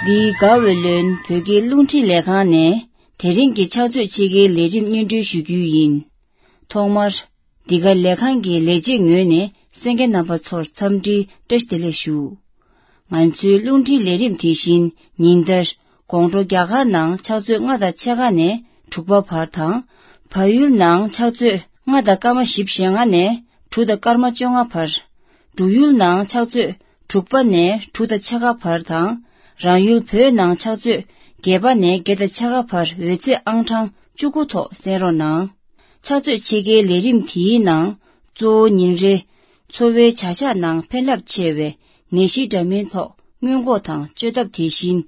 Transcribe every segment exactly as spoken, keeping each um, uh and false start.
འདིའི་དགའ་བའི་ལོན་བོད་ཀྱི་རླུང་འཕྲིན་ལས་ཁང་ནས་དེ་རིང་གི་ཕྱག་ཚོད་ཕྱེད་ཀའི་ལས་རིམ་སྙན་སྒྲོན་ཞུ་རྒྱུ་ཡིན། ཐོག་མར། འདི་ག་ལས་ཁང་གི་ལས་བྱེད་ངོས་ནས་གསན་མཁན་རྣམ་པ་ཚོར་འཚམས་འདྲིའི་བཀྲ་ཤིས་བདེ་ལེགས་ཞུ། ང་ཚོའི་རླུང་འཕྲིན་ལས་རིམ་དེ་བཞིན་ཉིན་ལྟར་དགོང་དྲོ་རྒྱ་གར་ནང་ཕྱག་ཚོད་ལྔ་དང་ཕྱེད་ཀ་ནས་དྲུག་པ་བར་དང་། བལ་ཡུལ་ནང་ཕྱག་ཚོད་ལྔ་དང་སྐར་མ་བཞི་བཅུ་ཞེ་ལྔ་ནས་དྲུག་དང་སྐར་མ་བཅོ་ལྔ་བར། འབྲུག་ཡུལ་ནང་ཕྱག་ཚོད་དྲུག་པ་ནས་དྲུག་དང་ཕྱེད་ཀ་བར་དང་། རང་ཡུལ་བོད་ནང་ཕྱག་ཚོད་བརྒྱད་པ་ནས་བརྒྱད་དང་ཕྱེད་ཀ་བར་འོད་ཚད་ཨང་གྲངས་བཅུ་དགུ་ཐོག་གསན་རོགས་གནང་། ཕྱག་ཚོད་ཕྱེད་ཀའི་ལས་རིམ་དེའི་ནང་གཙོ་བོ་ཉིན་རེའི་འཚོ་བའི་བྱ་གཞག་ནང་ཕན་རླབས་ཆེ་བའི་ནད་གཞི་འདྲ་མིན་ཐོག་སྔོན་འགོག་དང་བཅོས་ཐབས། དེ་བཞིན་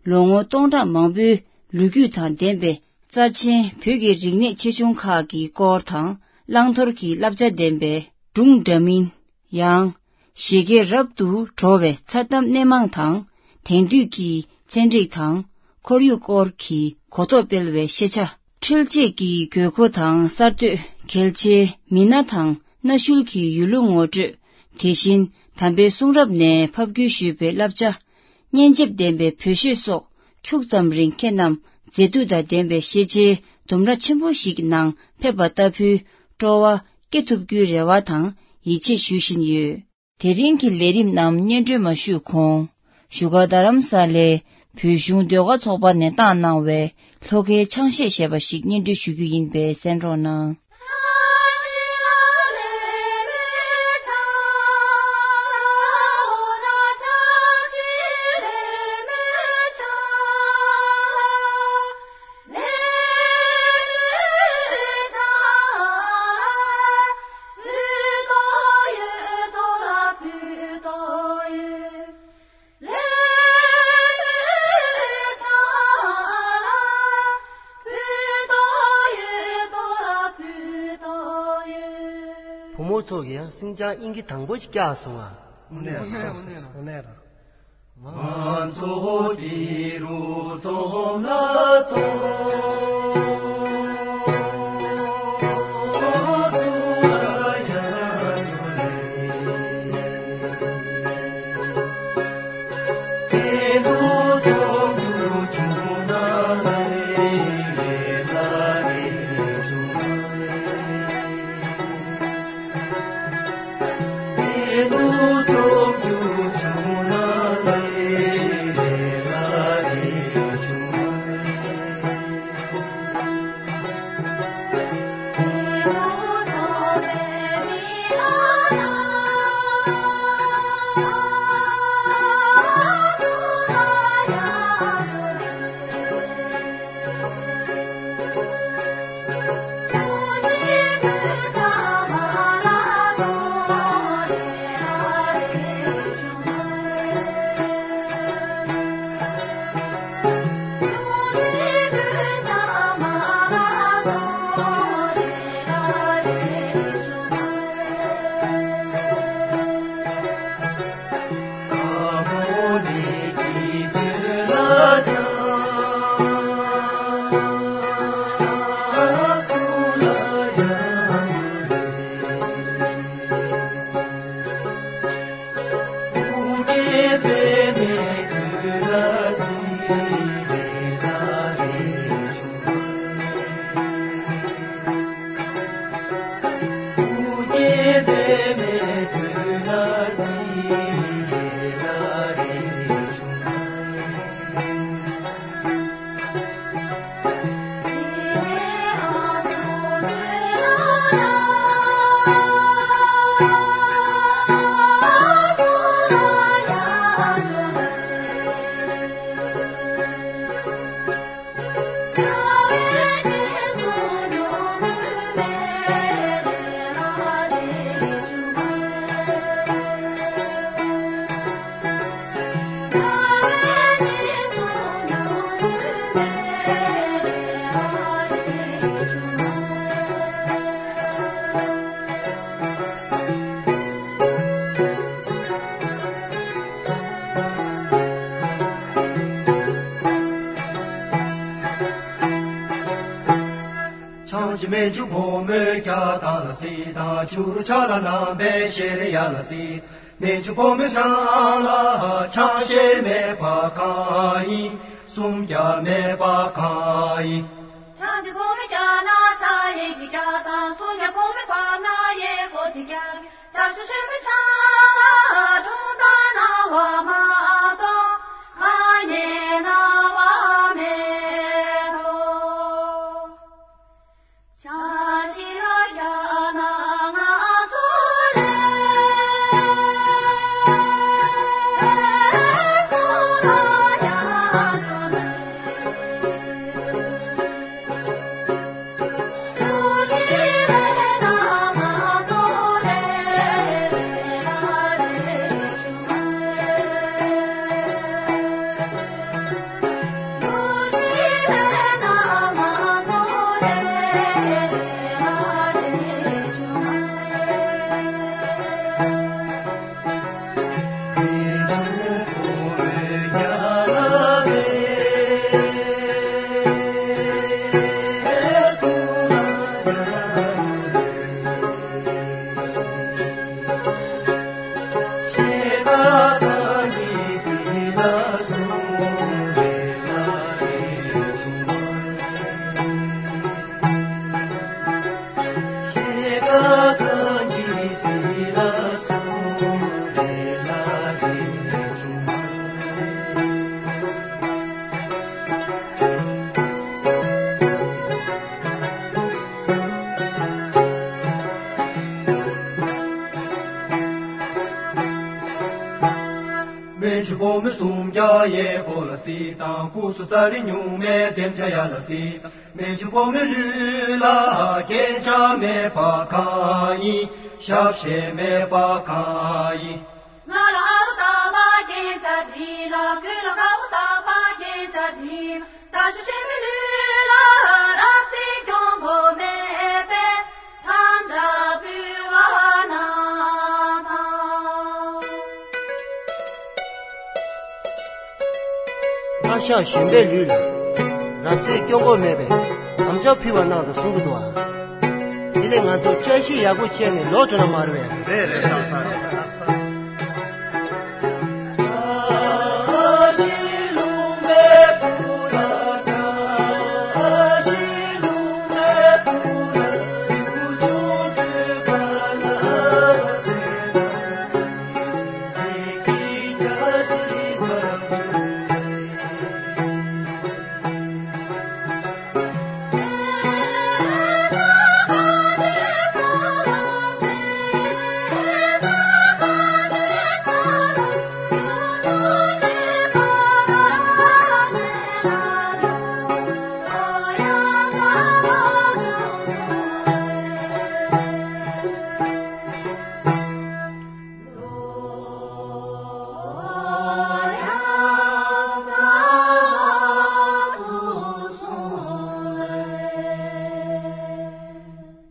ལོ་ངོ་སྟོང་ཕྲག་མང་པོའི་ལོ་རྒྱུས་དང་ལྡན་པའི་རྩ་ཆེན་བོད་ཀྱི་རིག་གནས་ཆེ་ཆུང་ཁག་གི་སྐོར་དང་། བླང་དོར་གྱི་བསླབ་བྱ་ལྡན་པའི་སྒྲུང་འདྲ་མིན། ཡང་། བཞད་གད་རབ་ཏུ་བྲོ་བའི་མཚར་གཏམ་སྣེ་མང་དང་། དེང་དུས་ཀྱི་ཚན་རིག་དང་ཁོར་ཡུག་སྐོར་གྱི་གོ་རྟོགས་སྤེལ་བའི་ཤེས་བྱ། འཕྲུལ་ཆས་ཀྱི་དགོས་མཁོ་དང་གསར་གཏོད། གལ་ཆེའི་མི་སྣ་དང་གནའ་ཤུལ་གྱི་ཡུལ་ལུང་ངོ་སྤྲོད། དེ་བཞིན་དམ་པའི་གསུང་རབ་ནས་ཕབ་བསྒྱུར་ཞུས་པའི་བསླབ་བྱ། སྙན་འཇེབས་ལྡན་པའི་བོད་གཞས་སོགས་ཁྱུག་ཙམ་རིང་ཁྱེད་རྣམས་མཛེས་སྡུག་དང་ལྡན་པའི་ཤེས་བྱའི་ལྡུམ་ར་ཆེན་པོ་ཞིག་ནང་ཕེབས་པ་ལྟ་བུའི་སྤྲོ་བ་སྐྱེ་ཐུབ་རྒྱུའི་རེ་བ་དང་ཡིད་ཆེས་ཞུ་བཞིན་ཡོད། དེ་རིང་གི་ལས་རིམ་རྣམས་སྙན་སྒྲོན་མ་ཞུས་གོང་། བཞུགས་སྒར་རྡ་རམ་ས་ལའི་བོད་གཞུང་ཟློས་གར་ཚོགས་པ་ནས་བཏང་གནང་བའི་ལྷོ་ཁའི་ཆང་གཞས་ཞེས་པ་ཞིག་སྙན་སྒྲོན་ཞུ་རྒྱུ་ཡིན་པས་གསན་རོགས་གནང་། བུ་མོ་ཚོ་གིས་ཡང་སིང་ཅང་དབྱིན་སྐད་དང་པོ་ཞིག་བཀྱག་སོང་ང་། དངོས་གནས་རེད། དངོས་གནས་རེད། ང་ཚོ་འདི་རུ་འཛོམས་ལ་འཛོམས། ཆང་ཆི་མེ་ཆུ་བོ་མོ་ཀྱ་ཏ་ལ་སི་དང་ཆུ་རུ་ཆ་ལ་ནམ་པའི་ཤེ་རི་ཡ་ལ་སི། སྨན་ཆུང་ཕོ་མོའི་ཆང་ལ་ཆང་ཤས་མེད་པ་གང་ཡིན། སུམ་བརྒྱ་མེད་པ་གང་ཡིན། ཆང་འདི་ཕོ་མོའི་རྒྱ་ནག་ཆང་ཡིན་གྱི་རྒྱ་དང་སུམ་བརྒྱ་ཕོ་མོའི་བར་ན་ཡེ་གོ་ཚི་རྒྱ་རྒྱ་ཤ་ཤ་མི་ཆང་ལ་གྲུང་དང་ན་བ་མ་གཏོང་གང་ཉེ་ན་བ་མེད་དོ། སྨན་ཆུང་ཕོ་མོ་སུམ་བརྒྱ་ཡས་ཁོ་ལ་སྲིད་དང་སྐུ་གསུམ་ས་རི་སྨྱུག་མའི་འདེམས་བྱ་ཡ་ལ་སྲིད་དང་། སྨན་ཆུང་ཕོ་མོའི་ལུས་ལ་རྒྱན་ཆ་མེད་པ་གང་ཡིན། ཞབས་ཞེ་མེད་པ་གང་ཡིན། ང་ལ་ཨ་རུ་ཏ་པ་རྒྱན་ཆ་བྲིས་ལ། ཁོས་ལ་ཁ་བུ་ཏ་པ་རྒྱན་ཆ་བྲིས་ལ། ད་ཤུ་ཤེ་མི་ལུས་ལ་རབ་སྲིད་སྐྱོང་དགོས་མེད་པས་དམ་བཅའ་ཕུལ་བ་གནང་དང་། ཨ་ཞང་གཞོན་པའི་ལུས་ལ་རབ་སྲིད་སྐྱོང་དགོས་མེད་པས་དམ་བཅའ་ཕུལ་བ་གནང་དང་གསུང་གི་འདུག་ཨ། དེ་ལས་ང་ཚོ་བཅའ་གཞི་ཡག་པོ་བྱས་ནས་ལོག་འགྲོ་ན་མ་རེད་པས། རེད་རེད། ཏག་ཏག་རེད།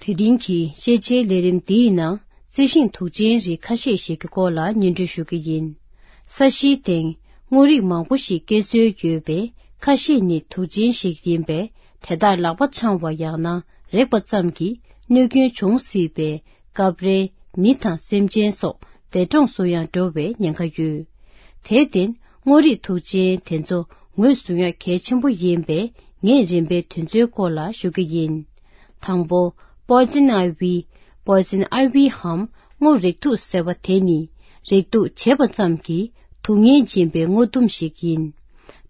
དེ་རིང་གི་ཤེས་བྱའི་ལས་རིམ་འདིའི་ནང་རྩི་ཤིང་དུག་ཅན་རིགས་ཁ་ཤས་ཤིག་གི་སྐོར་ལ་སྙན་སྒྲོན་ཞུ་གི་ཡིན། ས་གཞིའི་སྟེང་དངོས་རིགས་མང་པོ་ཞིག་སྐྱེ་སྲོལ་ཡོད་པས། ཁ་ཤས་ནི་དུག་ཅན་ཞིག་ཡིན་པས། དེ་དག་ལག་པ་འཆང་བ་ཡང་ན་རེག་པ་ཙམ་གྱིས་གནོད་སྐྱོན་འབྱུང་སྲིད་པས། སྐབས་རེ་མི་དང་སེམས་ཅན་སོགས་འདས་གྲོངས་སུ་ཡང་འགྲོ་བའི་ཉེན་ཁ་ཡོད། དེར་བརྟེན་དངོས་རིགས་དུག་ཅན་དེ་ཚོ་ངོས་བཟུང་ཡ་གལ་ཆེན་པོ་ཡིན་པས། ངས་རིམ་པས་དེ་ཚོའི་སྐོར་ལ་ཞུ་གི་ཡིན། དང་པོ། Poison Ivy། Poison Ivy འམ་སྔོ་རིགས་དུག་ཟེར་བ་དེ་ནི་རིགས་དུག་བྱེད་པ་ཙམ་གྱིས་དུག་ངན་འབྱིན་པའི་སྔོ་ལྡུམ་ཞིག་ཡིན།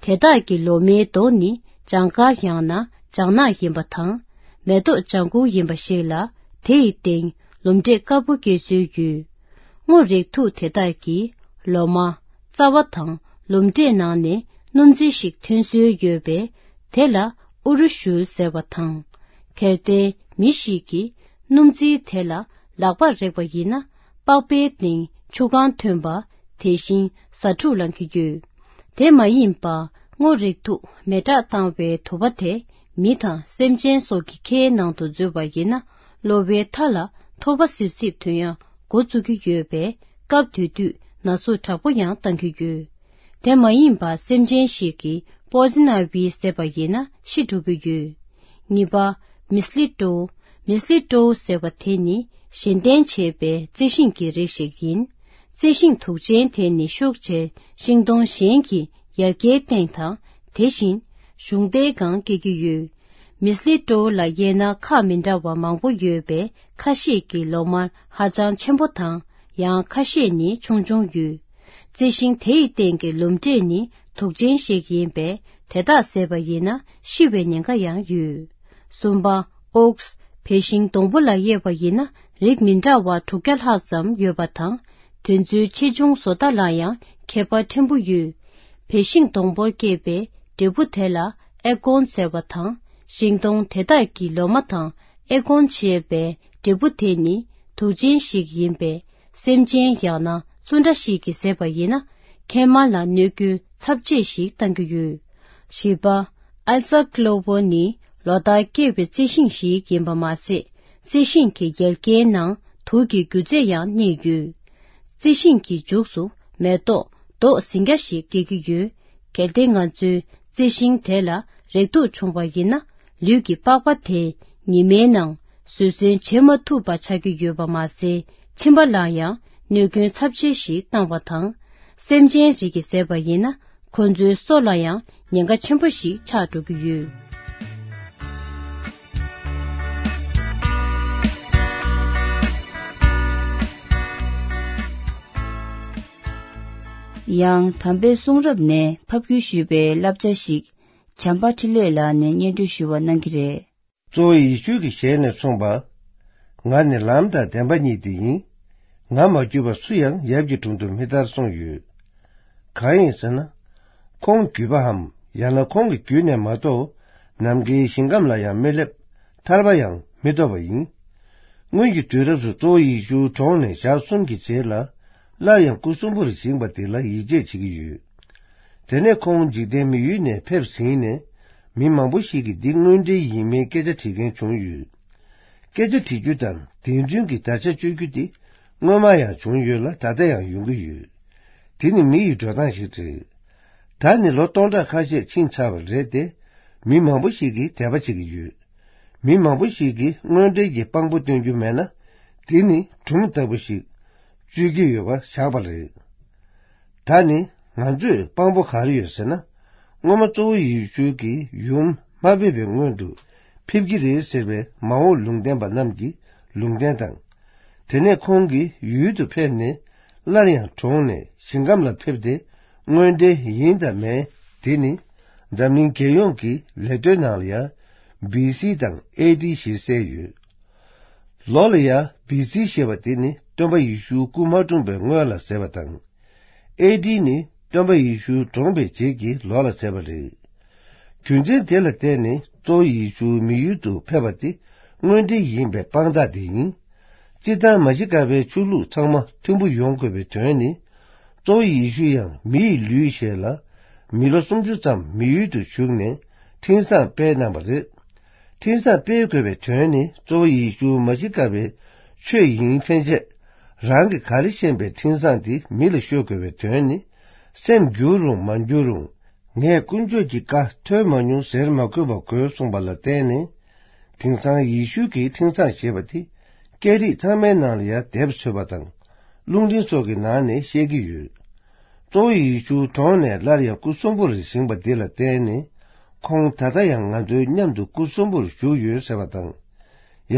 དེ་དག་གི་ལོ་མའི་མདོག་ནི་ལྗང་དཀར་ཡང་ན་ལྗང་ནག་ཡིན་པ་དང་། མེ་ཏོག་ལྗང་ཁུ་ཡིན་པ་ཞིག་ལ། དེ་ཡི་སྟེང་ལུམ་འབྲས་དཀར་པོ་སྐྱེ་སྲོལ་ཡོད། སྔོ་རིགས་དུག་དེ་དག་གིས་ལོ་མ། རྩ་བ་དང་ལུམ་འབྲས་ནང་ནས་སྣུམ་རྫས་ཤིག་ཐོན་སྲོལ་ཡོད་པས། དེ་ལ་ཨུ་རུ་ཤུལ་ཟེར་བ་དང་། དེར་བརྟེན་མི་ཞིག་གིས་སྣུམ་རྫས་དེ་ལ་ལག་པར་རེག་པ་ཡིན་ན། པགས་པའི་སྟེང་ཆུ་གང་ཐོན་པ། དེ་བཞིན་ཟ་འཕྲུག་ལང་གི་ཡོད། དེ་མ་ཡིན་པ། སྔོ་རིགས་དུག་མེ་སྲེག་བཏང་བའི་དུ་བ་དེ་མི་དང་སེམས་ཅན་སོགས་ཀྱི་ཁའི་ནང་དུ་འཛུལ་བ་ཡིན་ན། གློ་བའི་མཐའ་ལ་ཐོ་བ་སིབ་སིབ་ཐོན་ཡ་འགོ་བཙུགས་ཀྱི་ཡོད་པས། སྐབས་དེ་དུས་ན་ཟུག་དྲག་པོ་ཡང་བཏང་གི་ཡོད། དེ་མ་ཡིན་པ། སེམས་ཅན་ཞིག་གིས་Poison Ivy ཟེར་བ་ཡིན་ན་ཤི་འགྲོ་གི་ཡོད། གཉིས་པ། Mistletoe། Mistletoe ཟེར་བ་དེ་ནི་གཞན་བརྟེན་བྱས་པའི་རྩི་ཤིང་གི་རིགས་ཤིག་ཡིན། རྩི་ཤིང་དུག་ཅན་དེ་ནི་ཤུགས་ཆེ་ཤིང་སྡོང་གཞན་གྱི་ཡར་རྒྱས་སྟེང་དང་དེ་བཞིན་གཞུང་རྟའི་སྒང་སྐྱེ་གི་ཡོད། མི་སི་ལི་ཏོ་ལ་དབྱེ་ན་ཁག་མི་འདྲ་བ་མང་པོ་ཡོད་པས་ཁ་ཤས་ཀྱི་ལོ་མར་ཧ་ཅང་ཆེན་པོ་དང་ཡང་ཁ་ཤས་ནི་ཆུང་ཆུང་ཡོད། རྩི་ཤིང་དེ་ཡི་སྟེང་གི་ལུམ་འབྲས་ནི་དུག་ཅན་ཞིག་ཡིན་པས་དེ་དག་ཟས་པ་ཡིན་ན་ཤི་བའི་ཉེན་ཁ་ཡང་ཡོད། གསུམ་པ། ཨོག་སི། བལ་ཤིང་སྡོང་པོ་ལ་དབྱེ་བ་ཡིན་ན་རིགས་མི་འདྲ་བ་དྲུག་བརྒྱ་ལྷག་ཙམ་ཡོད་པ་དང་། དེ་ཚོའི་ཆེ་ཆུང་བཟོ་ལྟ་ལ་ཡང་ཁྱད་པར་ཕྲན་བུ་ཡོད། བལ་ཤིང་སྡོང་པོར་སྐྱེས་པའི་འབྲས་བུ་དེ་ལ་ཨེ་ཀོན་ཟེར་བ་དང་། ཤིང་སྡོང་དེ་དག་གི་ལོ་མ་དང་ཨེ་ཀོན་ཞེས་པའི་འབྲས་བུ་དེ་ནི་དུག་ཅན་ཞིག་ཡིན་པས། སེམས་ཅན་ཡང་ན་བཙུན་དགྲ་ཞིག་གིས་ཟས་པ་ཡིན་ན། མཁལ་མ་ལ་གནོད་སྐྱོན་ཚབས་ཆེ་ཞིག་བཏང་གི་ཡོད། བཞི་པ། ཨལ་ས་ཀློ་བོ་ནི་ལོ་ལྟར་སྐྱེ་བའི་རྩི་ཤིང་ཞིག་ཡིན་པ་མ་ཟད། རྩི་ཤིང་གི་ཡལ་གའི་ནང་དུག་གི་རྒྱུ་རྫས་ཡང་གནས་ཡོད། རྩི་ཤིང་གི་མཇུག་ཏུ་མེ་ཏོག་མདོག་ཟིང་སྐྱ་ཞིག་སྐྱེ་གི་ཡོད། གལ་ཏེ་ང་ཚོའི་རྩི་ཤིང་དེ་ལ་རེག་དུག་བྱུང་བ་ཡིན་ན། ལུས་ཀྱི་པགས་པ་དེ་ཉི་མའི་ནང་བཟོད་བསྲན་བྱེད་མ་ཐུབ་པ་ཆགས་ཀྱི་ཡོད་པ་མ་ཟད། མཆིན་པ་ལ་ཡང་གནོད་སྐྱོན་ཚབས་ཆེ་ཞིག་བཏང་བ་དང་། སེམས་ཅན་རིགས་ཀྱིས་ཟས་པ་ཡིན་ན། ཁོ་ཚོའི་སོ་ལ་ཡང་ཉེན་ཁ་ཆེན་པོ་ཞིག་ཆགས་འགྲོ་གི་ཡོད། ཡང་དམ་པའི་གསུང་རབ་ནས་ཕབ་བསྒྱུར་ཞུས་པའི་བསླབ་བྱ་ཞིག་བྱམས་པ་འཕྲིན་ལས་ལགས་ནས་སྙན་སྒྲོན་ཞུ་བ་གནང་གི་རེད། གཙོ་བོ་ཡེ་ཤུ་གི་ཞལ་ནས་གསུངས་པ། ང་ནི་ལམ་དང་བདེན་པ་ཉིད་དེ་ཡིན། ང་མ་བརྒྱུད་པ་སུ་ཡང་ཡབ་ཀྱི་དྲུང་དུ་མི་ཐར་གསུངས་ཡོད། གང་ཡིན་ཟེར་ན། ཁོང་བརྒྱུད་པའམ་ཡང་ན་ཁོང་གི་བརྒྱུད་ནས་མ་གཏོགས་ནམ་མཁའི་ཞིང་ཁམས་ལ་ཡང་མི་སླེབས། ཐར་པ་ཡང་མི་ཐོབ་པ་ཡིན། སྔོན་གྱི་དུས་རབས་སུ་གཙོ་བོ་ཡེ་ཤུ་གྲོངས་ནས་ཞག་གསུམ་གྱི་རྗེས་ལ་སླར་ཡང་སྐུ་གསོན་པོར་བཞེངས་པ་དེ་ལ་ཡིད་ཆེས་བྱེད་ཀྱི་ཡོད། དེ་ནས་ཁོང་འཇིག་རྟེན་མི་ཡུལ་ནས་ཕེབས་ཟིན་ནས། མི་མང་པོ་ཞིག་གིས་འདི་དངོས་འབྲེལ་ཡིན་མིན་སྐད་ཆ་དྲི་མཁན་བྱུང་ཡོད། སྐད་ཆ་དྲི་རྒྱུ་དང་དེ་མཚུངས་ཀྱི་དར་ཆ་གཅོད་རྒྱུ་དེ་སྔོན་མ་ཡང་བྱུང་ཡོད་ལ། ད་ལྟ་ཡང་ཡོང་གི་ཡོད། དེ་ནི་མི་ཡི་འགྲོ་སྟངས་ཤིག་རེད། ད་ནི་ལོ་སྟོང་ཕྲག་ཁ་ཤས་ཕྱིན་ཚར་བ་རེད་དེ། མི་མང་པོ་ཞིག་གིས་དད་པ་བྱེད་ཀྱི་ཡོད། མི་མང་པོ་ཞིག་གིས་དངོས་འབྲེལ་གྱི་དཔང་པོ་སྟོན་རྒྱུ་མེད་ན། དེ་ནི་སྒྲུང་ལྟ་བུ་ཞིག་བཅོས་ཀྱི་ཡོད་པ་བཞག་པ་རེད། ད་ནི་ང་ཚོས་དཔང་པོ་ག་རེ་ཡོད་ཟེར་ན། སྔོན་མ་གཙོ་བོ་ཡེ་ཤུ་གིས་ཡུམ་མ་ཕེབས་པའི་སྔོན་དུ་ཕེབས་ཀྱི་རེད་ཟེར་བའི་མ་འོངས་ལུང་བསྟན་པ་རྣམས་ཀྱི་ལུང་བསྟན་དང་། དེ་ནས་ཁོང་གིས་ཡུལ་དུ་ཕེབས་ནས་སླར་ཡང་གྲོངས་ནས་ཞིང་ཁམས་ལ་ཕེབས་ཏེ་དངོས་འབྲེལ་ཡིན་དང་མིན། དེ་ནི་འཛམ་གླིང་རྒྱལ་ཡོངས་ཀྱི་ལས་དོན་ནང་ལ་ཡང་བི་སི་དང་ཨེ་ཌི་ཞེས་གསལ་ཡོད། ལོ་ལ་ཡང་བི་སི་ཞེས་པ་དེ་ནི་སྟོན་པ་ཡེ་ཤུ་སྐུ་མ་འཁྲུངས་པའི་སྔོན་ལ་ཟེར་བ་དང་། ཨེ་ཌི་ནི་སྟོན་པ་ཡེ་ཤུ་གྲོངས་པའི་རྗེས་ཀྱི་ལོ་ལ་ཟེར་བ་རེད། རྒྱུ་མཚན་དེ་ལ་བརྟེན་ནས་གཙོ་བོ་ཡེ་ཤུ་མི་ཡུལ་དུ་ཕེབས་པ་དེ་དངོས་འབྲེལ་ཡིན་པའི་དཔང་རྟགས་དེ་ཡིན། སྤྱིར་བཏང་མ་ཤི་ཀ་པའི་ཆོས་ལུགས་ཚང་མ་མཐུན་པོ་ཡོང་དགོས་པའི་དོན་ནི། གཙོ་བོ་ཡེ་ཤུ་ཡང་མི་ཡི་ལུས་བྱས་ལ། མི་ལོ་སུམ་ཅུ་ཙམ་མི་ཡུལ་དུ་བཞུགས་ནས་འཕྲིན་བཟང་སྤེལ་གནང་བ་རེད། འཕྲིན་བཟང་སྤེལ་དགོས་པའི་དོན་ནི་གཙོ་བོ་ཡེ་ཤུ་མ་ཤི་ཀ་པའི་ཆོས་ཡིན་ཕན་ཆད། རང་གིས་ག་རེ་ཤེས་པའི་འཕྲིན་བཟང་དེ་མི་ལ་ཤོད་དགོས་པའི་དོན་ནི། སེམས་འགྱུར་རུང་མ་འགྱུར་རུང་། ངས་དཀོན་མཆོག་གི་བཀའ་ཐོས་མ་མྱོང་ཟེར་མ་དགོས་པ་དགོས་གསུངས་པ་ལ་བརྟེན་ནས། དེང་སང་ཡེ་ཤུ་གི་འཕྲིན་བཟང་ཞེས་པ་དེ་སྐད་རིགས་ཚང་མའི་ནང་ལ་ཡང་དེབ་འཚོལ་བ་དང་། རླུང་འཕྲིན་སོགས་ཀྱི་ནང་ནས་བཤད་ཀྱི་ཡོད། གཙོ་བོ་ཡེ་ཤུ་གྲོངས་ནས་སླར་ཡང་སྐུ་གསོན་པོར་བཞེངས་པ་འདི་ལ་བརྟེན་ནས། ཁོང་ད་ལྟ་ཡང་ང་ཚོའི་མཉམ་དུ་སྐུ་གསོན་པོར་བཞུགས་ཡོད་ཟེར་བ་དང་།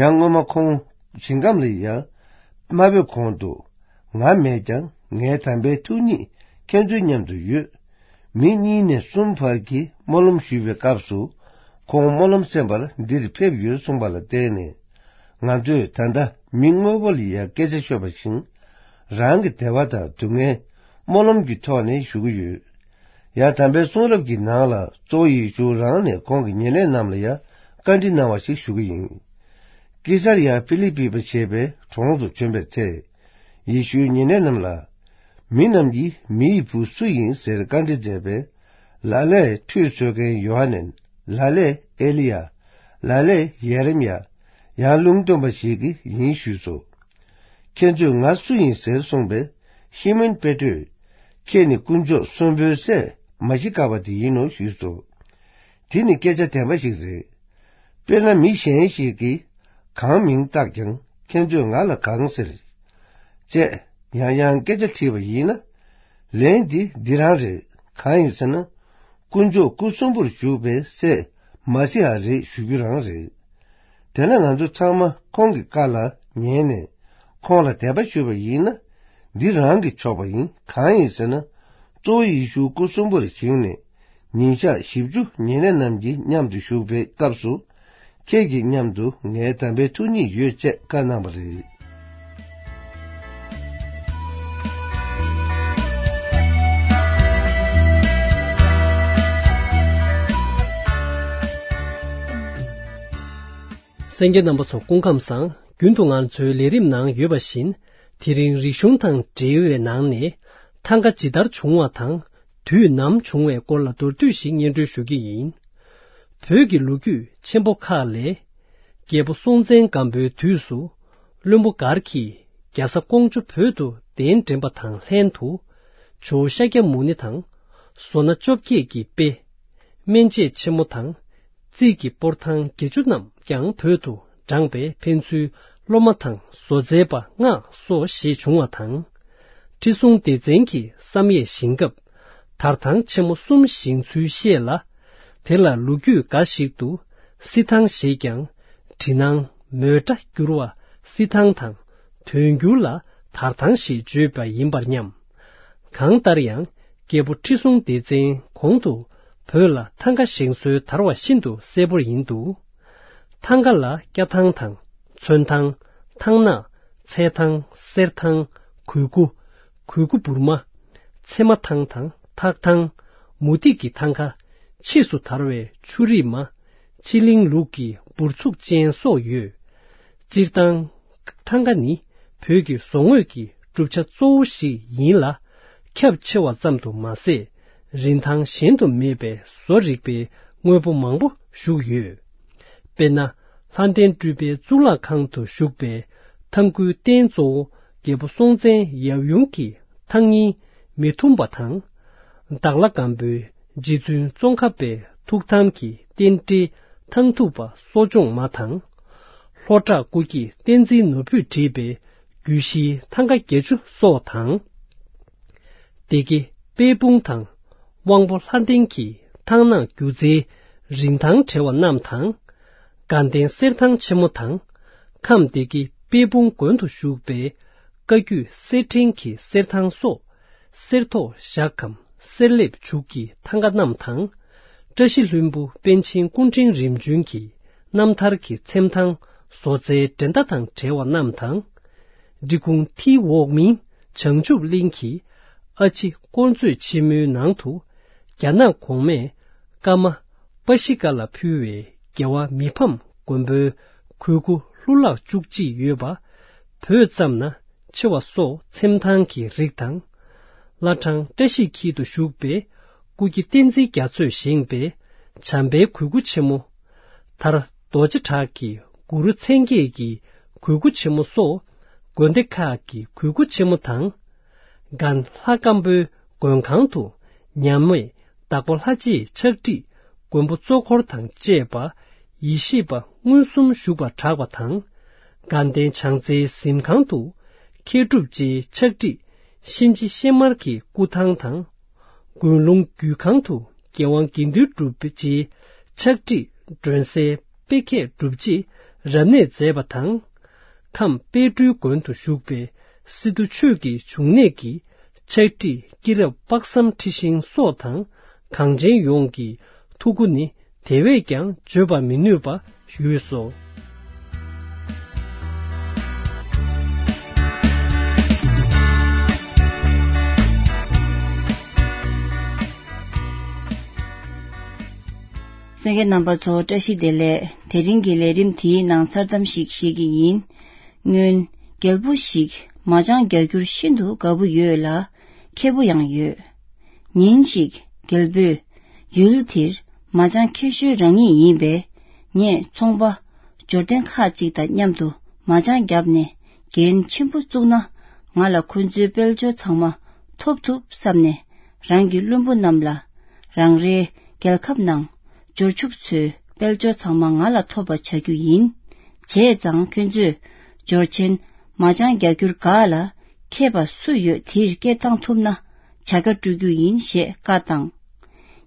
ཡང་སྔོན་མ་ཁོང་ཞིང་ཁམས་ལ་ཡང་མ་ཕེབས་གོང་དུ། ང་མེད་ཀྱང་ངའི་དམ་པའི་ཐུགས་ཉིད་ཁྱེད་ཚོའི་མཉམ་དུ་ཡོད། མི་གཉིས་ནས་གསུམ་བར་གྱིས་སྨོན་ལམ་ཞུ་བའི་སྐབས་སུ། ཁོང་སྨོན་ལམ་གསན་པར་འདིར་ཕེབས་ཡོད་གསུངས་པ་ལ་བརྟེན་ནས། ང་ཚོས་ད་ལྟ་མི་དངོས་པོ་ལ་ཡང་སྐད་ཆ་ཤོད་པ་བཞིན། རང་གི་བདེ་བ་དང་སྡུག་བསྔལ་སྨོན་ལམ་གྱི་ཐོག་ནས་ཞུ་གི་ཡོད། ཡང་དམ་པའི་གསུང་རབ་ཀྱི་ནང་ལ་གཙོ་བོ་ཡེ་ཤུ་རང་ནས་ཁོང་གི་ཉེ་གནས་རྣམས་ལ་ཡང་བཀའ་འདྲི་གནང་བ་ཞིག་ཞུ་གི་ཡིན། ཀེ་སར་ཡ་ཕི་ལི་པི་པ་ཞེས་པའི་གྲོང་དུ་བྱོན་པའི་ཚེ། ཡེ་ཤུའི་ཉེ་གནས་རྣམས་ལ། མི་རྣམས་ཀྱིས་མི་ཡི་བུ་སུ་ཡིན་ཟེར་བཀའ་འདྲི་མཛད་པས། ལ་ལས་ཁྲུས་གསོལ་མཁན་ཡོ་ཧ་ནན། ལ་ལས་ཨེ་ལི་ཡ། ལ་ལས་ཡེ་རེམ་ཡ། ཡང་ལུང་སྟོན་པ་ཞིག་གིས་ཡིན་ཞུས་སོ། ཁྱེད་ཚོས་ང་སུ་ཡིན་ཟེར་གསུངས་པས། ཤི་མོན་པེ་ཏྲོས། ཁྱེད་ནི་དཀོན་མཆོག་གསོན་པོའི་སྲས་མ་ཤི་ཀ་པ་དེ་ཡིན་ནོ་ཞུས་སོ། དེ་ནི་སྐད་ཆ་བདེན་པ་ཞིག་རེད། དཔེར་ན་མི་གཞན་ཞིག་གིས་གང་མིང་བཏགས་ཀྱང་ཁྱེད་ཚོས་ང་ལ་གང་ཟེར། ཅེས། ཡང་ཡང་སྐད་ཆ་དྲིས་པ་ཡིན་ན། ལན་འདི་འདི་རང་རེད། གང་ཡིན་ཟེར་ན། དཀོན་མཆོག་སྐུ་གསོན་པོར་བཞུགས་པའི་སྲས་མ་ཤི་ཡ་རེད་ཞུ་རྒྱུ་རང་རེད། དེ་ལ་ང་ཚོ་ཚང་མ་ཁོང་གི་བཀའ་ལ་ཉན་ནས་ཁོང་ལ་དད་པ་ཞུས་པ་ཡིན་ན། འདི་རང་གིས་ཆོག་པ་ཡིན། གང་ཡིན་ཟེར་ན། གཙོ་བོ་ཡེ་ཤུ་སྐུ་གསོན་པོར་བཞེངས་ནས་ཉིན་ཞག་བཞི་བཅུ་ཉེ་གནས་རྣམས་ཀྱི་མཉམ་དུ་བཞུགས་པའི་སྐབས་སུ། ཁྱེད་ཀྱི་མཉམ་དུ་ངའི་དམ་པའི་ཐུགས་ཉིད་ཡོད་ཅེས་བཀའ་གནང་བ་རེད། གསན་མཁན་རྣམ་པ་ཚོ་སྐུ་ཁམས་བཟང་། རྒྱུན་དུ་ང་ཚོའི་ལས་རིམ་ནང་ཡོད་པ་བཞིན། དེ་རིང་རིག་གཞུང་དང་འབྲེལ་བའི་ནང་ནས་ཐང་ག་ཇི་ལྟར་བྱུང་བ་དང་། དུས་ནམ་བྱུང་བའི་སྐོར་ལ་མདོར་བསྡུས་ཤིག་སྙན་སྒྲོན་ཞུ་གི་ཡིན། བོད་ཀྱི་ལོ་རྒྱུས་ཆེན་པོ་ཁག་ལས། རྒྱལ་པོ་སྲོང་བཙན་སྒམ་པོའི་དུས་སུ། བློན་པོ་མགར་གྱིས་རྒྱ་བཟའ་ཀོང་ཇོ་བོད་དུ་གདན་འདྲེན་པ་དང་ལྷན་དུ། ཇོ་བོ་ཤཱཀྱ་མུ་ནེ་དང་། བཟོ་སྣ་བཅོ་བརྒྱད་ཀྱི་དཔེ། སྨན་དཔྱད་ཆེན་མོ་དང་། རྩིས་ཀྱི་སྤོར་ཐང་བརྒྱད་ཅུ་རྣམས་ཀྱང་བོད་དུ་དྲངས་པས། ཕན་ཚུན་སློབ་མ་དང་བཟོ་རྩལ་པ་མངགས་སོ་ཞེས་བྱུང་བ་དང་། ཁྲི་སྲོང་ལྡེ་བཙན་གྱི་བསམ་ཡས་བཞེངས་སྐབས། དར་ཐང་ཆེན་མོ་གསུམ་བཞེངས་ཚུལ་བཤད་ལ། དེ་ལ་ལོ་རྒྱུས་འགའ་ཞིག་ཏུ་བསིལ་ཐང་ཞེས་ཀྱང་། བྲིས་ནང་མོའི་སྒྲ་བསྒྱུར་བ་བསིལ་ཐང་དང་། དོན་བསྒྱུར་ལ་དར་ཐང་ཞེས་བརྗོད་པ་ཡིན་པར་སྙམ། གང་ལྟར་ཡང་། རྒྱལ་པོ་ཁྲི་སྲོང་ལྡེ་བཙན་གོང་དུ་བོད་ལ་ཐང་ག་བཞེངས་སྲོལ་དར་བ་ཤིན་ཏུ་གསལ་པོར་ཡིན་འདུག། ཐང་ག་ལ་སྐྱ་ཐང་དང་། ཚོན་ཐང་། ཐང་ནག། ཚལ་ཐང་། གསེར་ཐང་། གོས་སྐུ། གོས་སྐུ་བུར་མ། ཚེར་མ་ཐང་དང་ཐག་ཐང་། མུ་ཏིག་གི་ཐང་ག། ཕྱིས་སུ་དར་བའི་ཆུ་རིས་མ། ཕྱི་གླིང་ལུགས་ཀྱི་འབུར་ཚུགས་ཅན་སོགས་ཡོད། སྤྱིར་བཏང་། ཐང་ག་ནི་བོད་ཀྱི་བཟོ་དངོས་ཀྱི་གྲུབ་ཆ་གཙོ་བོ་ཞིག་ཡིན་ལ། ཁྱབ་ཆེ་བ་ཙམ་དུ་མ་ཟད། རིན་ཐང་གཞན་དུ་མེད་པའི་བཟོ་རིག་པའི་དངོས་པོ་མང་པོ་བཞུགས་ཡོད། དཔེར་ན། ལྷ་ལྡན་སྤྲུལ་པའི་གཙུག་ལག་ཁང་དུ་བཞུགས་པའི་ཐང་སྐུའི་རྟེན་གཙོ་བོ་རྒྱལ་པོ་སྲོང་བཙན་ཡབ་ཡུམ་གྱི་ཐང་རྙིང་མི་ཐུམ་པ་དང་། དྭགས་ལྷ་སྒམ་པོའི་རྗེ་བཙུན་ཙོང་ཁ་པའི་ཐུགས་དམ་གྱི་རྟེན་འབྲེལ་ཐང་ཐུབ་པ་གསོ་སྦྱོང་མ་དང་། ལྷོ་བྲག་སྐུ་སྐྱེས་བསྟན་འཛིན་ནོར་བུས་བྲིས་པའི་རྒྱུད་བཞིའི་ཐང་ག་བརྒྱད་ཅུ་སོགས་དང་། སྡེ་དགེ་དཔལ་སྤུངས་དང་དབང་པོ་ལྷ་ལྡན་གྱི་ཐང་ནག་སྒྱུ་རྩལ་རིན་ཐང་བྲལ་བ་རྣམས་དང་། དགའ་ལྡན་གསེར་ཐང་ཆེན་མོ་དང་། ཁམས་སྡེ་དགེ་དཔལ་སྤུངས་དགོན་དུ་བཞུགས་པའི་བཀའ་བརྒྱུད་གསེར་ཕྲེང་གི་གསེར་ཐང་སོགས། གསེར་ཐོག་ཞག་གམ་གསེར་ལེབ་བྱུག་གི་ཐང་ག་རྣམས་དང་། བཀྲ་ཤིས་ལྷུན་པོ་པཎ་ཆེན་སྐུ་ཕྲེང་རིམ་བྱོན་གྱི་རྣམ་ཐར་གྱི་ཚེམ་ཐང་བཟོ་རྩལ་འགྲན་ཟླ་དང་བྲལ་བ་རྣམས་དང་། འབྲི་གུང་མཐིལ་འོག་མིན་བྱང་ཆུབ་གླིང་གི་ཨ་ཕྱི་དཀོར་མཛོད་ཆེན་མོའི་ནང་དུ། རྒྱ་ནག་གོང་མས་ཀརྨ་པ་ཤི་ཀ་ལ་ཕུལ་བའི་རྒྱལ་བ་མི་ཕམ་མགོན་པོའི་གོས་སྐུ་ལྷུ་ལག་བཅུ་གཅིག་ཡོད་པ། བོད་ཙམ་ན་ཆེ་བ་སོགས་ཚེམ་ཐང་གི་རིགས་དང་། བླ་བྲང་བཀྲ་ཤིས་འཁྱིལ་དུ་བཞུགས་པའི་སྐུ་སྐྱེ་བསྟན་འཛིན་རྒྱ་མཚོས་བཞེངས་པའི་བྱམས་པའི་གོས་སྐུ་ཆེན་མོ། མཐར་རྡོ་རྗེ་བྲག་གི་གུ་རུ་མཚན་བརྒྱད་ཀྱི་གོས་སྐུ་ཆེན་མོ་སོགས། དགོན་སྡེ་ཁག་གི་གོས་སྐུ་ཆེན་མོ་དང་། དགའ་ལྷ་སྒམ་པོའི་མགོན་ཁང་དུ་མཉམ་མེད་བདག་པོ་ལྷ་རྗེའི་ཕྱག་བྲིས་མགོན་པོ་གཙོ་འཁོར་དང་བཅས་པ་ཡེ་ཤེས་པ་མངོན་སུམ་བཞུགས་པ་གྲགས་པ་དང་། དགའ་ལྡན་བྱང་རྩེའི་གཟིམ་ཁང་དུ་མཁས་གྲུབ་རྗེའི་ཕྱག་བྲིས་གཤིན་རྗེ་གཤེད་དམར་གྱི་སྐུ་ཐང་དང་། དགོན་ལུང་རྒྱུད་ཁང་དུ་རྒྱལ་དབང་དགེ་འདུན་གྲུབ་རྗེའི་ཕྱག་བྲིས་སྒྲོན་གསལ་དཔེ་མཁས་གྲུབ་རྗེས་རབ་གནས་མཛད་པ་དང་། ཁམས་དཔལ་སྤྲུལ་དགོན་དུ་བཞུགས་པའི་སི་ཏུ་ཆོས་ཀྱི་འབྱུང་གནས་ཀྱི་ཕྱག་བྲིས་སྐྱེས་རབས་དཔག་བསམ་འཁྲི་ཤིང་སོགས་དང་གངས་ཅན་ཡོངས་ཀྱི་ཐུགས་སྐུ་ནི་དེ་བས་ཀྱང་བརྗོད་པར་མི་ནུས་པ་ཡོད་སོ། གསན་མཁན་རྣམ་པ་ཚོ་བཀྲ་ཤིས་བདེ་ལེགས། དེ་རིང་གི་ལས་རིམ་དེའི་ནང་མཚར་གཏམ་ཞིག་བཤད་ཀྱི་ཡིན། སྔོན། རྒྱལ་པོ་ཞིག་མ་ཅང་རྒྱག་རྒྱུར་ཤིན་ཏུ་དགའ་པོ་ཡོད་ལ། མཁས་པོ་ཡང་ཡོད། ཉིན་ཞིག་རྒྱལ་པོས། ཡུལ་དེར་མ་ཅང་མཁས་ཤོས་རང་ཉིད་ཡིན་པས། ངས་ཚོང་པ་འབྱོར་ལྡན་ཁག་ཅིག་དང་མཉམ་དུ་མ་ཅང་བརྒྱབ་ནས་འགན་ཆེན་པོ་བཙུགས་ན། ང་ལ་ཁོ་ཚོའི་དཔལ་འབྱོར་ཚང་མ་ཐོབ་ཐུབ་བསམ་ནས། རང་གི་བློན་པོ་རྣམས་ལ། རང་རེའི་རྒྱལ་ཁབ་ནང་འབྱོར་ཕྱུག་ཚོའི་དཔལ་འབྱོར་ཚང་མ་ང་ལ་ཐོབ་པ་བྱ་རྒྱུ་ཡིན། བྱས་ཙང་ཁྱོད་ཚོས་འབྱོར་ཆེན་མ་ཅང་རྒྱག་རྒྱུར་དགའ་ལ། མཁས་པ་སུ་ཡོད་དེར་སྐད་བཏང་ཐུབ་ན་བྱ་དགའ་སྤྲོད་རྒྱུ་ཡིན་ཞེས་བཀའ་བཏང་།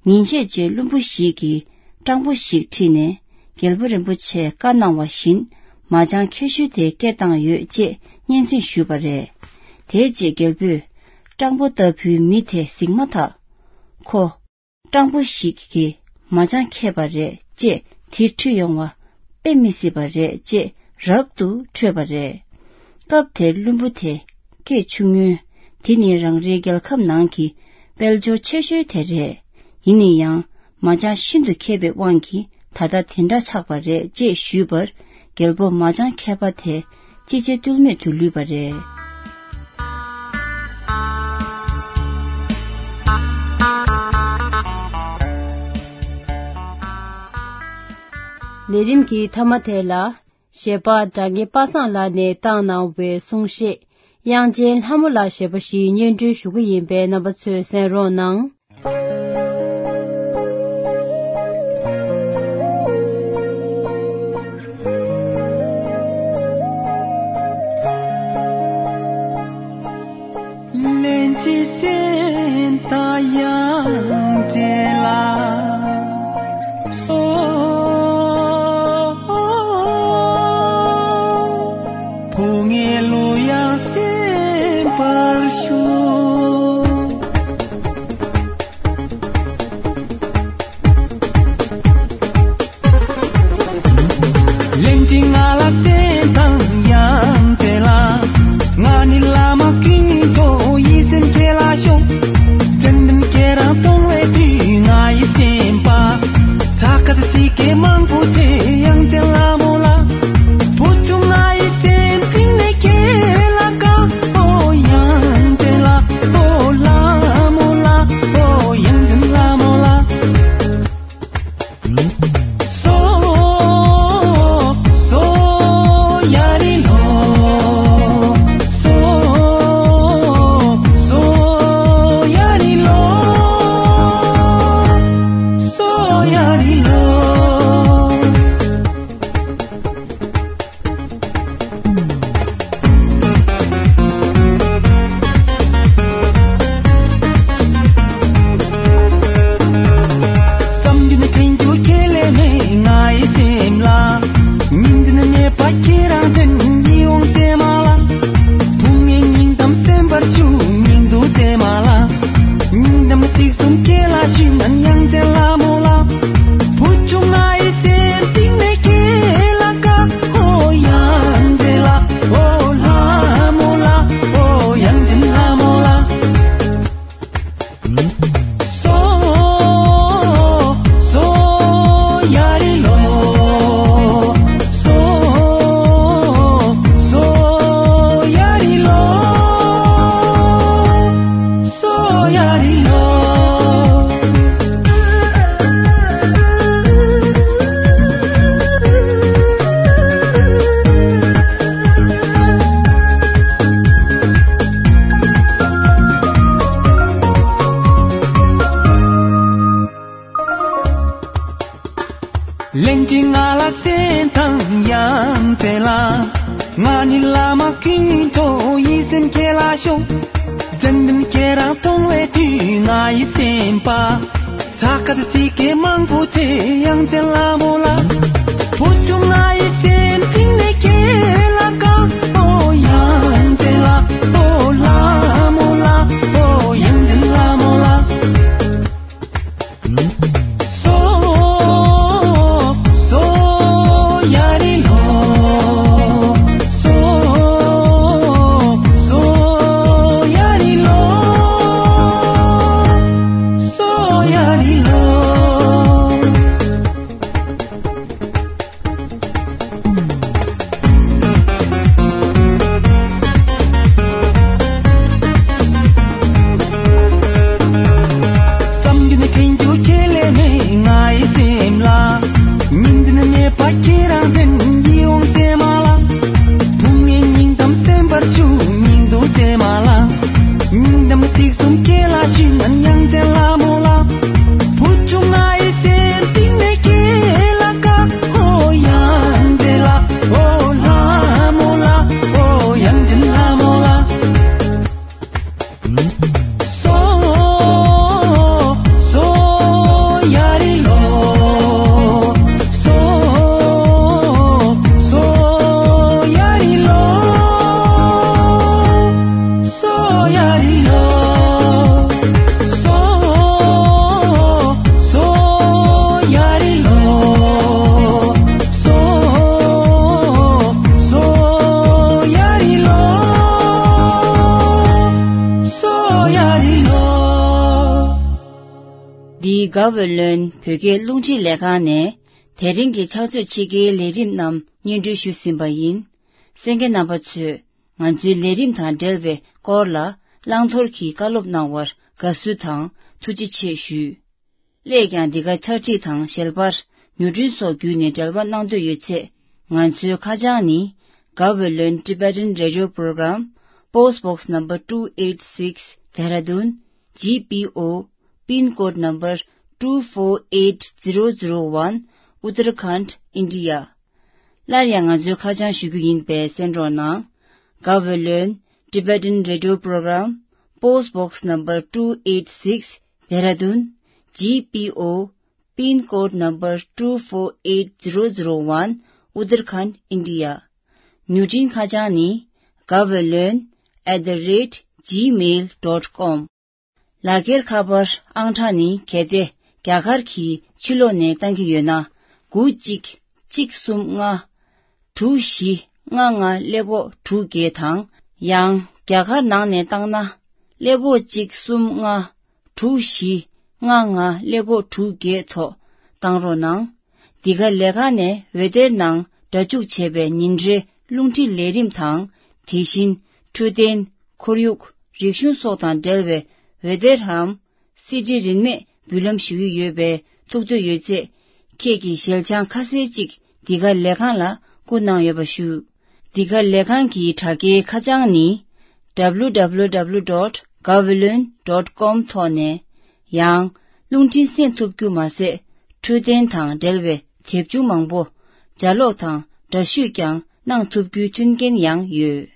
ཉིན་ཤས་རྗེས་བློན་པོ་ཞིག་གིས་སྤྲང་པོ་ཞིག་ཁྲིད་ནས་རྒྱལ་པོ་རིན་པོ་ཆེས་བཀའ་གནང་བ་བཞིན་མ་ཅང་མཁས་ཤོས་དེ་སྐད་བཏང་ཡོད་ཅེས་སྙན་སེང་ཞུས་པ་རེད། དེའི་རྗེས་རྒྱལ་པོས་སྤྲང་པོ་ལྟ་བུའི་མི་དེ་གཟིགས་མ་ཐག་ཁོ། སྤྲང་པོ་ཞིག་གིས་མ་ཅང་མཁས་པ་རེད་ཅེས་དེ་ཁྲིད་ཡོང་བ་དཔེ་མི་སྲིད་པ་རེད་ཅེས་རབ་ཏུ་ཁྲོས་པ་རེད། སྐབས་དེར་བློན་པོ་དེ་སྐད་ཆུང་ངུས་དེ་ནི་རང་རེའི་རྒྱལ་ཁབ་ནང་གི་དཔལ་འབྱོར་ཆེ་ཤོས་དེ་རེད། ཡིན་ན་ཡང་མ་ཅང་ཤིན་ཏུ་མཁས་པའི་དབང་གིས་ད་ལྟ་དེ་འདྲ་ཆགས་པ་རེད་ཅེས་ཞུས་པར་རྒྱལ་པོ་མ་ཅང་མཁས་པ་དེ་ཅི་བྱེད་གཏོལ་མེད་དུ་ལུས་པ་རེད། ལས་རིམ་གྱི་མཐའ་མ་དེ་ལ་གཞས་པ་སྒྲ་སྙན་པ་སངས་ལགས་ནས་བཏང་གནང་བའི་གསུང་བཤད། དབྱངས་ཅན་ལྷ་མོ་ལགས་ཞེས་པ་ཞིག་སྙན་སྒྲོན་ཞུ་གི་ཡིན་པས་རྣམ་པ་ཚོས་གསན་རོགས་གནང་། ལན་གཅིག་སེམས་དང་དབྱངས་ཅན་ལགས། སོ། ཕོ་ངའི་གླུ་དབྱངས་གསན་པར་ཞུ། ལན་གཅིག་ང་ལ་བསྟན་དང་དབྱངས་ཅན་ལགས། ང་ནི་བླ་མ་ཀུན་ཐོག་ཡིད་སེམས་ཁྱེད་ལ་ཤོག། ཙན་དན་ཁྱེད་རང་གཏོང་བའི་དུས་ང་ཡི་སེམས་པ། ཚ་ཁ་དང་ཚིག་སྐད་མང་པོ་བྱས་དབྱངས་ཅན་ལྷ་མོ་ལགས། བུ་ཆུང་ང་ཡི་སེམས་གཏིང་ནས་ཁྱེད་ལ་དགའ། ཨོ་དབྱངས་ཅན་ལགས། ཨོ་ལྷ་མོ་ལགས། ཨོ་དབྱངས་ཅན་ལྷ་མོ་ལགས། སོ། སོ་ཡ་རི་ལོ། སོ། སོ་ཡ་རི་ལོ། སོ་ཡ་རི་ལོ། བསམ་རྒྱུ་ནི་དྲན་རྒྱུ་ཁས་ལེན་མེད་ང་ཡི་སེམས་ལ། ཉིན་འདི་ནི་ངེས་པ་ཁྱེད་རང་དོན་ཡིད་འོང་ཚེ་མ་ལ། བུ་ངའི་སྙིང་གཏམ་གསན་པར་ཞུ་ཉིན་དུ་ཚེ་མ་ལ། སྙིང་གཏམ་ཚིག་གསུམ་ཁྱེད་ལ་ཞུས་ན་དབྱངས་ཅན་ལྷ་མོ་ལགས། བུ་ཆུང་ང་ཡི་སེམས་གཏིང་ནས་ཁྱེད་ལ་དགའ། ཨོ་དབྱངས་ཅན་ལགས། ཨོ་ལྷ་མོ་ལགས། ཨོ་དབྱངས་ཅན་ལྷ་མོ་ལགས། སོ། སོ་ཡ་རི་ལོ། སོ། སོ་ཡ་རི་ལོ། སོ་ཡ་རི་ལོ། ལན་གཅིག་ང་ལ་གསན་དང་དབྱངས་ཅན་ལགས། ང་ནི་བླ་མ་ཀུན་ཐོག་ཡིད་སེམས་ཁྱེད་ལ་ཤོག། ཙན་དན་ཁྱེད་རང་གཏོང་བའི་དུས་ང་ཡི་སེམས་པ། ཚ་ཁ་དང་ཚིག་སྐད་མང་པོ་བྱས་དབྱངས་ཅན་ལྷ་མོ་ལགས། བུ་ཆུང་ང་ཡི་སེམས་གཏིང་ནས་ཁྱེད་ལ་དགའ། ཨོ་དབྱངས་ཅན་ལགས། ཨོ་ལྷ་མོ་ལགས། ཨོ་དབྱངས་ཅན་ལྷ་མོ་ལགས། སོ། སོ་ཡ་རི་ལོ། སོ། སོ་ཡ་རི་ལོ། སོ་ཡ་རི་ལོ། འདིའི་དགའ་བའི་ལོན་བོད་སྐད་རླུང་འཕྲིན་ལས་ཁང་ནས་དེ་རིང་གི་ཕྱག་ཚོད་ཕྱེད་ཀའི་ལས་རིམ་རྣམས་སྙན་སྒྲོན་ཞུས་ཟིན་པ་ཡིན། གསན་མཁན་རྣམ་པ་ཚོས་ང་ཚོའི་ལས་རིམ་དང་འབྲེལ་བའི་སྐོར་ལ་བླང་དོར་གྱི་བཀའ་སློབ་གནང་བར་དགའ་བསུ་དང་ཐུགས་རྗེ་ཆེ་ཞུ། སླད་ཀྱང་འདི་ག་ཕྱག་བྲིས་དང་ཞལ་པར་མྱུར་འཕྲིན་སོགས་བརྒྱུད་ནས་འབྲེལ་བ་གནང་འདོད་ཡོད་ཚེ། ང་ཚོའི་ཁ་བྱང་ནི། དགའ་བའི་ལོན་Tibetan Radio Program, Post Box Number two eight six, Dehradun, G P O, Pin Code Number two four eight zero zero one, Uttarakhand, India. སླར་ཡང་ང་ཚོའི་ཁ་བྱང་ཞུ་རྒྱུ་ཡིན་པས་གསན་རོགས་གནང་། དགའ་བའི་ལོན་Tibetan Radio Program, Post Box Number two eight six, Dehradun, G P O, Pin Code Number two four eight zero zero one, Uttarakhand, India. མྱུར་འཕྲིན་ཁ་བྱང་ནི། དགའ་བའི་ལོན་at the rate gmail dot com། ལག་འཁྱེར་ཁ་པར་ཨང་གྲངས་ནི་གལ་ཏེ་རྒྱ་གར་གྱི་ཕྱི་ལོགས་ནས་བཏང་གི་ཡོད་ན། དགུ་གཅིག་གཅིག་གསུམ་ལྔ། དྲུག་བཞི་ལྔ་ལྔ་ཀླད་ཀོར་དྲུག་བརྒྱད་དང་། ཡང་རྒྱ་གར་ནང་ནས་བཏང་ན། ཀླད་ཀོར་གཅིག་གསུམ་ལྔ། དྲུག་བཞི་ལྔ་ལྔ་ཀླད་ཀོར་དྲུག་བརྒྱད་ཐོག་བཏང་རོགས་གནང་། འདི་ག་ལས་ཁང་ནས་འོད་སྡེར་ནང་སྒྲ་འཇུག་བྱས་པའི་ཉིན་རེའི་རླུང་འཕྲིན་ལས་རིམ་དང་། དེ་བཞིན་འཕྲོད་བསྟེན། ཁོར་ཡུག་རིག་གཞུང་སོགས་དང་འབྲེལ་བའི་འོད་སྡེར་རམ། སི་ཌི་རིན་མེད་འབུལ་ལམ་ཞུ་གི་ཡོད་པས། ཐུགས་འདོད་ཡོད་ཚེ། ཁྱེད་ཀྱི་ཞལ་བྱང་ཁ་གསལ་ཅིག་འདི་ག་ལས་ཁང་ལ་བསྐུར་གནང་ཡོད་པ་ཞུ། འདི་ག་ལས་ཁང་གི་དྲ་རྒྱའི་ཁ་བྱང་ནི། W W W dot gaweylon dot com ཐོག་ནས། ཡང་རླུང་འཕྲིན་གསན་ཐུབ་རྒྱུ་མ་ཟད། འཕྲོད་བསྟེན་དང་འབྲེལ་བའི་དེབ་ཆུང་མང་པོ་ལྗགས་ཀློག་དང་འདྲ་བཤུས་ཀྱང་གནང་ཐུབ་རྒྱུའི་མཐུན་རྐྱེན་ཡང་ཡོད།